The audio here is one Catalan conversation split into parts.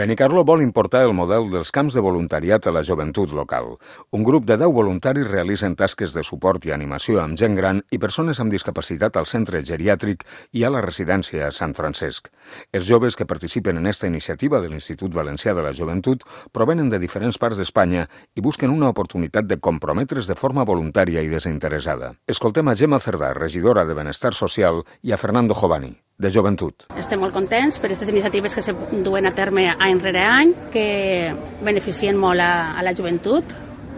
Benicarló vol importar el model dels camps de voluntariat a la joventut local. Un grup de 10 voluntaris realitzen tasques de suport i animació amb gent gran i persones amb discapacitat al centre geriàtric i a la residència a Sant Francesc. Els joves que participen en esta iniciativa de l'Institut Valencià de la Joventut provenen de diferents parts d'Espanya i busquen una oportunitat de comprometre's de forma voluntària i desinteressada. Escoltem a Gemma Cerdà, regidora de Benestar Social, i a Fernando Jovani, de Joventut. Estem molt contents per aquestes iniciatives que se duen a terme any rere any, que beneficien molt a la joventut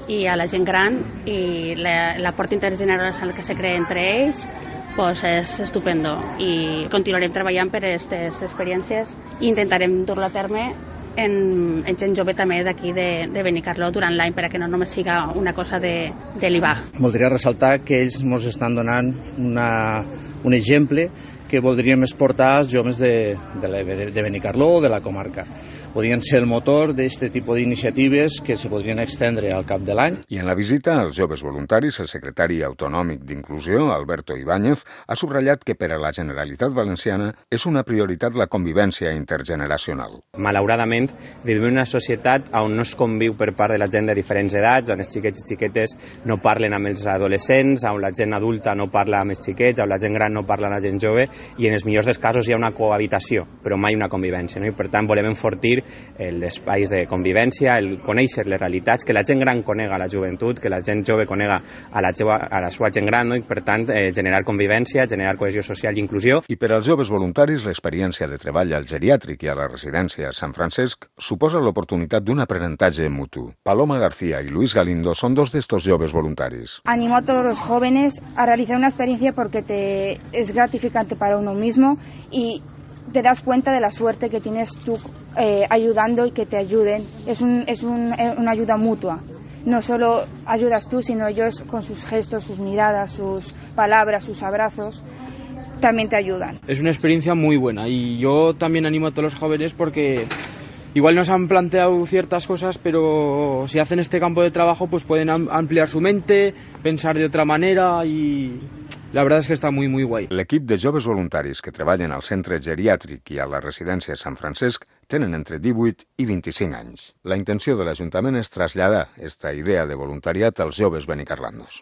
i a la gent gran, i la forta intergeneracional que se crea entre ells pues és estupendo, i continuarem treballant per aquestes experiències i intentarem dur-lo a terme en gent jove també d'aquí de Benicarló durant l'any, perquè no només siga una cosa de l'IBAG. Voldria ressaltar que ells ens estan donant un exemple que voldríem exportar als joves de Benicarló o de la comarca. Podrien ser el motor d'aquest tipus d'iniciatives que se podrien extendre al cap de l'any. I en la visita als joves voluntaris, el secretari autonòmic d'Inclusió, Alberto Ibáñez, ha subratllat que per a la Generalitat Valenciana és una prioritat la convivència intergeneracional. Malauradament, vivim en una societat on no es conviu per part de la gent de diferents edats, on els xiquets i xiquetes no parlen amb els adolescents, on la gent adulta no parla amb els xiquets, on la gent gran no parla amb la gent jove, i en els millors dels casos hi ha una cohabitació, però mai una convivència, no? I per tant volem enfortir els espais de convivència, el conèixer les realitats, que la gent gran conega la joventut, que la gent jove conega a la seva gent gran, no? I per tant generar convivència, generar cohesió social i inclusió. I per als joves voluntaris, l'experiència de treball al geriàtric i a la residència a Sant Francesc suposa l'oportunitat d'un aprenentatge mutu. Paloma García y Luis Galindo son dos de estos joves voluntarios. Animo a todos los jóvenes a realizar una experiencia porque es gratificante para uno mismo y te das cuenta de la suerte que tienes tú ayudando y que te ayuden. Es una ayuda mutua. No solo ayudas tú, sino ellos con sus gestos, sus miradas, sus palabras, sus abrazos, también te ayudan. Es una experiencia muy buena y yo también animo a todos los jóvenes porque igual nos han planteado ciertas cosas, pero si hacen este campo de trabajo pues pueden ampliar su mente, pensar de otra manera y la verdad es que està muy guai. L'equip de joves voluntaris que treballen al centre geriàtric i a la residència Sant Francesc tenen entre 18 i 25 anys. La intenció de l'Ajuntament és traslladar aquesta idea de voluntariat als joves benicarlandos.